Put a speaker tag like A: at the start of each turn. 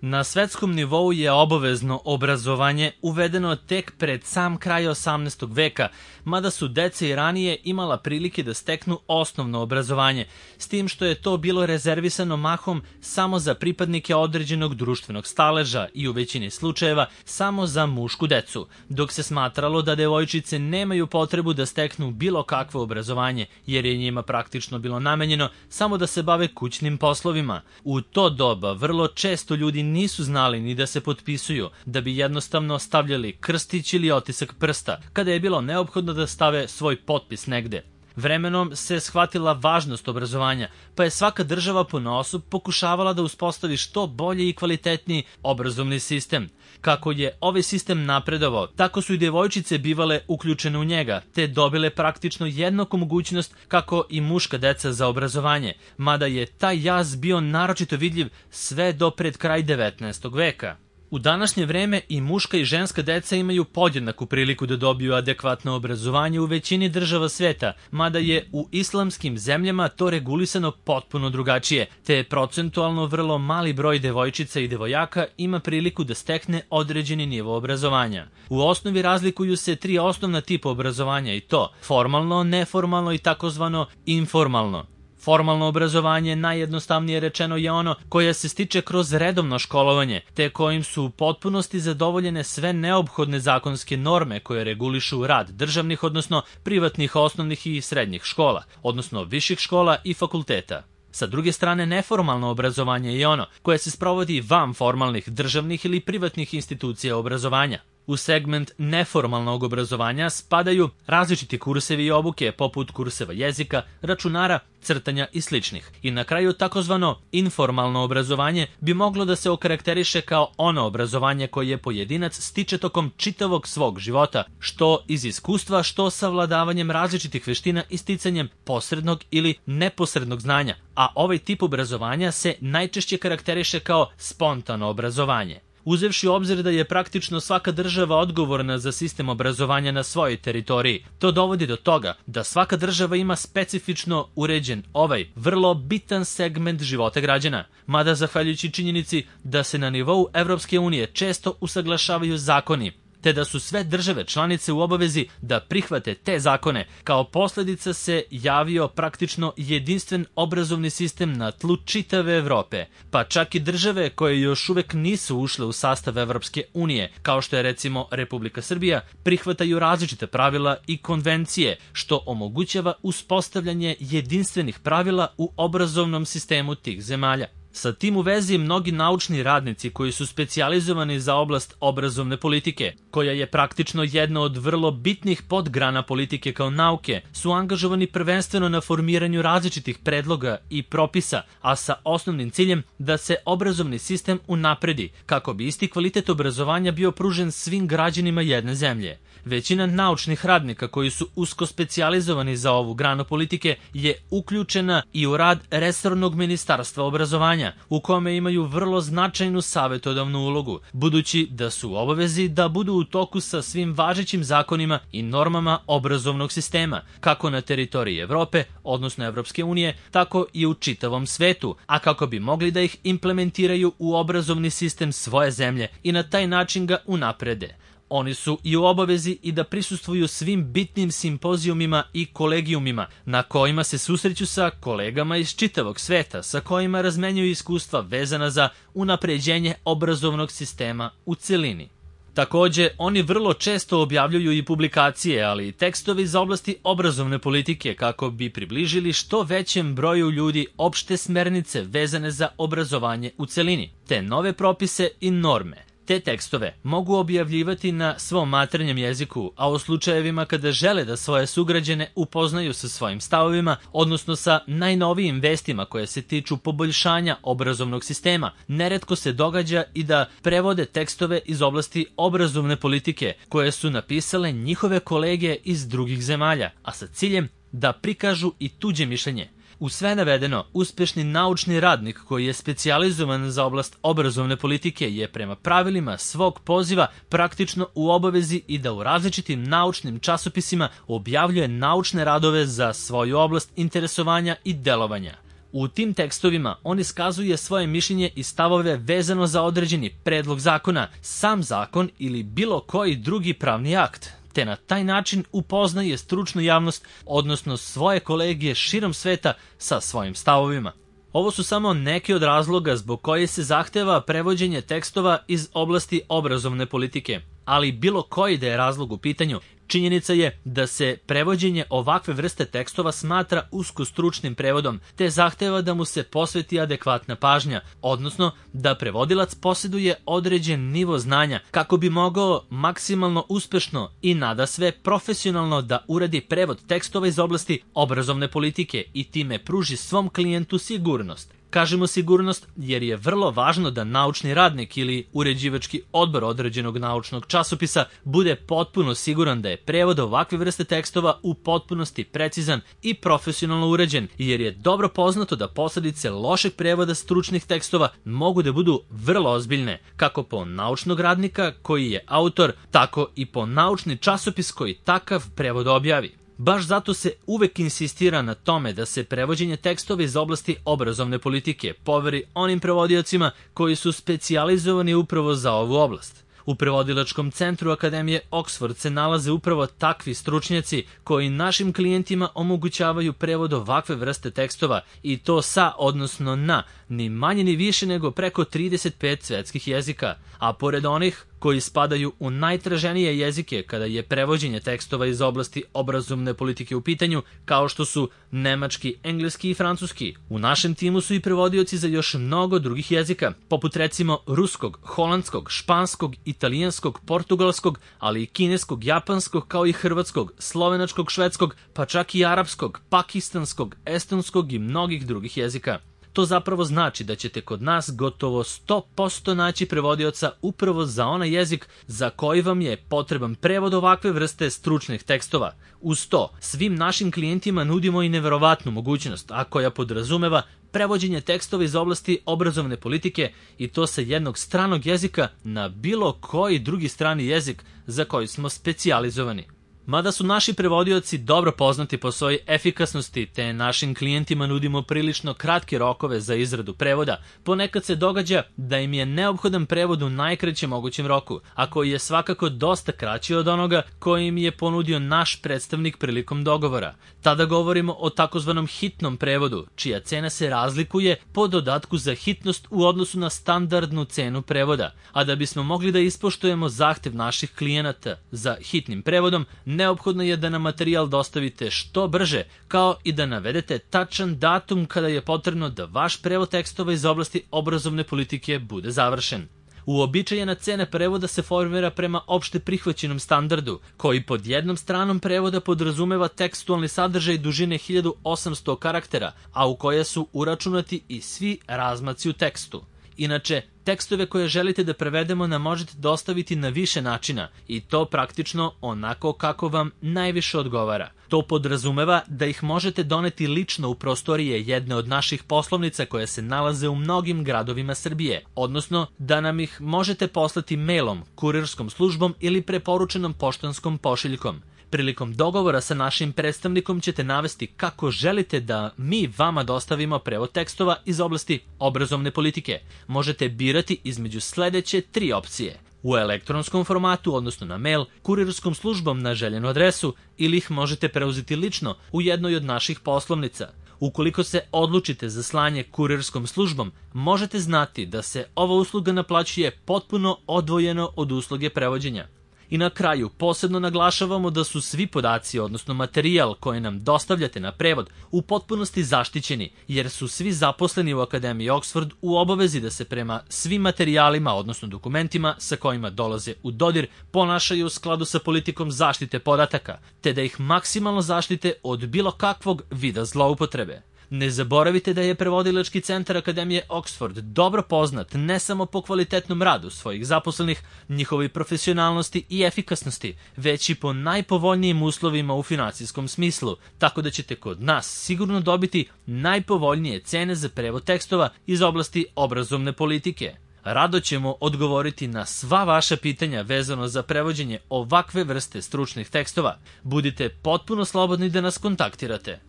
A: Na svetskom nivou je obavezno obrazovanje uvedeno tek pred sam kraj 18. veka, mada su deca i ranije imala prilike da steknu osnovno obrazovanje, s tim što je to bilo rezervisano mahom samo za pripadnike određenog društvenog staleža i u većini slučajeva samo za mušku decu, dok se smatralo da devojčice nemaju potrebu da steknu bilo kakvo obrazovanje, jer je njima praktično bilo namenjeno samo da se bave kućnim poslovima. U to doba vrlo često ljudi nisu znali ni da se potpisuju, da bi jednostavno stavljali krstić ili otisak prsta, kada je bilo neophodno da stave svoj potpis negde. Vremenom se shvatila važnost obrazovanja, pa je svaka država ponaosob pokušavala da uspostavi što bolji i kvalitetniji obrazovni sistem. Kako je ovaj sistem napredovao, tako su i devojčice bivale uključene u njega, te dobile praktično jednaku mogućnost kako i muška deca za obrazovanje, mada je taj jaz bio naročito vidljiv sve do pred kraj 19. veka. U današnje vreme i muška i ženska deca imaju podjednaku priliku da dobiju adekvatno obrazovanje u većini država sveta, mada je u islamskim zemljama to regulisano potpuno drugačije, te procentualno vrlo mali broj devojčica i devojaka ima priliku da stekne određeni nivo obrazovanja. U osnovi razlikuju se tri osnovna tipa obrazovanja i to formalno, neformalno i takozvano informalno. Formalno obrazovanje, najjednostavnije rečeno, je ono koje se stiče kroz redovno školovanje, te kojim su u potpunosti zadovoljene sve neophodne zakonske norme koje regulišu rad državnih, odnosno privatnih osnovnih i srednjih škola, odnosno viših škola i fakulteta. Sa druge strane, neformalno obrazovanje je ono koje se sprovodi van formalnih državnih ili privatnih institucija obrazovanja. U segment neformalnog obrazovanja spadaju različiti kursevi i obuke, poput kurseva jezika, računara, crtanja i sličnih. I na kraju takozvano informalno obrazovanje bi moglo da se okarakteriše kao ono obrazovanje koje pojedinac stiče tokom čitavog svog života, što iz iskustva, što savladavanjem različitih veština i sticanjem posrednog ili neposrednog znanja, a ovaj tip obrazovanja se najčešće karakteriše kao spontano obrazovanje. Uzevši u obzir da je praktično svaka država odgovorna za sistem obrazovanja na svojoj teritoriji, to dovodi do toga da svaka država ima specifično uređen ovaj vrlo bitan segment života građana, mada zahvaljujući činjenici da se na nivou Evropske unije često usaglašavaju zakoni, te da su sve države članice u obavezi da prihvate te zakone, kao posljedica se javio praktično jedinstven obrazovni sistem na tlu čitave Evrope, pa čak i države koje još uvek nisu ušle u sastav Evropske unije, kao što je recimo Republika Srbija, prihvataju različite pravila i konvencije, što omogućava uspostavljanje jedinstvenih pravila u obrazovnom sistemu tih zemalja. Sa tim u vezi mnogi naučni radnici koji su specijalizovani za oblast obrazovne politike, koja je praktično jedna od vrlo bitnih podgrana politike kao nauke, su angažovani prvenstveno na formiranju različitih predloga i propisa, a sa osnovnim ciljem da se obrazovni sistem unapredi, kako bi isti kvalitet obrazovanja bio pružen svim građanima jedne zemlje. Većina naučnih radnika koji su usko specijalizovani za ovu granu politike je uključena i u rad resornog ministarstva obrazovanja, u kome imaju vrlo značajnu savjetodavnu ulogu, budući da su u obavezi da budu u toku sa svim važećim zakonima i normama obrazovnog sistema, kako na teritoriji Evrope, odnosno Evropske unije, tako i u čitavom svetu, a kako bi mogli da ih implementiraju u obrazovni sistem svoje zemlje i na taj način ga unaprede. Oni su i u obavezi i da prisustvuju svim bitnim simpozijumima i kolegijumima na kojima se susreću sa kolegama iz čitavog sveta, sa kojima razmenjuju iskustva vezana za unapređenje obrazovnog sistema u celini. Takođe, oni vrlo često objavljuju i publikacije, ali i tekstovi za oblasti obrazovne politike kako bi približili što većem broju ljudi opšte smernice vezane za obrazovanje u celini, te nove propise i norme. Te tekstove mogu objavljivati na svom maternjem jeziku, a u slučajevima kada žele da svoje sugrađane upoznaju sa svojim stavovima, odnosno sa najnovijim vestima koje se tiču poboljšanja obrazovnog sistema, neretko se događa i da prevode tekstove iz oblasti obrazovne politike koje su napisale njihove kolege iz drugih zemalja, a sa ciljem da prikažu i tuđe mišljenje. U sve navedeno, uspešni naučni radnik koji je specijalizovan za oblast obrazovne politike je prema pravilima svog poziva praktično u obavezi i da u različitim naučnim časopisima objavljuje naučne radove za svoju oblast interesovanja i delovanja. U tim tekstovima on iskazuje svoje mišljenje i stavove vezano za određeni predlog zakona, sam zakon ili bilo koji drugi pravni akt, te na taj način upoznaje stručnu javnost, odnosno svoje kolegije širom sveta sa svojim stavovima. Ovo su samo neki od razloga zbog koje se zahteva prevođenje tekstova iz oblasti obrazovne politike, ali bilo koji da je razlog u pitanju, činjenica je da se prevođenje ovakve vrste tekstova smatra uskostručnim prevodom, te zahteva da mu se posveti adekvatna pažnja, odnosno da prevodilac posjeduje određen nivo znanja kako bi mogao maksimalno uspešno i nadasve profesionalno da uradi prevod tekstova iz oblasti obrazovne politike i time pruži svom klijentu sigurnost. Kažemo sigurnost jer je vrlo važno da naučni radnik ili uređivački odbor određenog naučnog časopisa bude potpuno siguran da je prevod ovakve vrste tekstova u potpunosti precizan i profesionalno uređen, jer je dobro poznato da posledice lošeg prevoda stručnih tekstova mogu da budu vrlo ozbiljne, kako po naučnog radnika koji je autor, tako i po naučni časopis koji takav prevod objavi. Baš zato se uvek insistira na tome da se prevođenje tekstova iz oblasti obrazovne politike poveri onim prevodiocima koji su specijalizovani upravo za ovu oblast. U prevodilačkom centru Akademije Oxford se nalaze upravo takvi stručnjaci koji našim klijentima omogućavaju prevod ovakve vrste tekstova i to sa, odnosno na, ni manje ni više nego preko 35 svetskih jezika, a pored onih koji spadaju u najtraženije jezike kada je prevođenje tekstova iz oblasti obrazovne politike u pitanju, kao što su nemački, engleski i francuski. U našem timu su i prevodioci za još mnogo drugih jezika, poput recimo ruskog, holandskog, španskog, italijanskog, portugalskog, ali i kineskog, japanskog, kao i hrvatskog, slovenačkog, švedskog, pa čak i arapskog, pakistanskog, estonskog i mnogih drugih jezika. To zapravo znači da ćete kod nas gotovo 100% naći prevodioca upravo za onaj jezik za koji vam je potreban prevod ovakve vrste stručnih tekstova. Uz to, svim našim klijentima nudimo i neverovatnu mogućnost, a koja podrazumeva prevođenje tekstova iz oblasti obrazovne politike i to sa jednog stranog jezika na bilo koji drugi strani jezik za koji smo specijalizovani. Mada su naši prevodioci dobro poznati po svojoj efikasnosti, te našim klijentima nudimo prilično kratke rokove za izradu prevoda, ponekad se događa da im je neophodan prevod u najkraćem mogućem roku, a koji je svakako dosta kraći od onoga koji im je ponudio naš predstavnik prilikom dogovora. Tada govorimo o takozvanom hitnom prevodu, čija cena se razlikuje po dodatku za hitnost u odnosu na standardnu cenu prevoda, a da bismo mogli da ispoštujemo zahtev naših klijenata za hitnim prevodom, neophodno je da nam materijal dostavite što brže, kao i da navedete tačan datum kada je potrebno da vaš prevod tekstova iz oblasti obrazovne politike bude završen. Uobičajena cena prevoda se formira prema opšte prihvaćenom standardu, koji pod jednom stranom prevoda podrazumeva tekstualni sadržaj dužine 1800 karaktera, a u koje su uračunati i svi razmaci u tekstu. Inače, tekstove koje želite da prevedemo nam možete dostaviti na više načina i to praktično onako kako vam najviše odgovara. To podrazumeva da ih možete doneti lično u prostorije jedne od naših poslovnica koje se nalaze u mnogim gradovima Srbije, odnosno da nam ih možete poslati mailom, kurirskom službom ili preporučenom poštanskom pošiljkom. Prilikom dogovora sa našim predstavnikom ćete navesti kako želite da mi vama dostavimo prevod tekstova iz oblasti obrazovne politike. Možete birati između sledeće 3 opcije: u elektronskom formatu, odnosno na mail, kurirskom službom na željenu adresu, ili ih možete preuzeti lično u jednoj od naših poslovnica. Ukoliko se odlučite za slanje kurirskom službom, možete znati da se ova usluga naplaćuje potpuno odvojeno od usluge prevođenja. I na kraju, posebno naglašavamo da su svi podaci, odnosno materijal koji nam dostavljate na prevod, u potpunosti zaštićeni, jer su svi zaposleni u Akademiji Oxford u obavezi da se prema svim materijalima, odnosno dokumentima sa kojima dolaze u dodir, ponašaju u skladu sa politikom zaštite podataka, te da ih maksimalno zaštite od bilo kakvog vida zloupotrebe. Ne zaboravite da je prevodilački centar Akademije Oxford dobro poznat ne samo po kvalitetnom radu svojih zaposlenih, njihovoj profesionalnosti i efikasnosti, već i po najpovoljnijim uslovima u finansijskom smislu, tako da ćete kod nas sigurno dobiti najpovoljnije cene za prevod tekstova iz oblasti obrazovne politike. Rado ćemo odgovoriti na sva vaša pitanja vezano za prevođenje ovakve vrste stručnih tekstova. Budite potpuno slobodni da nas kontaktirate.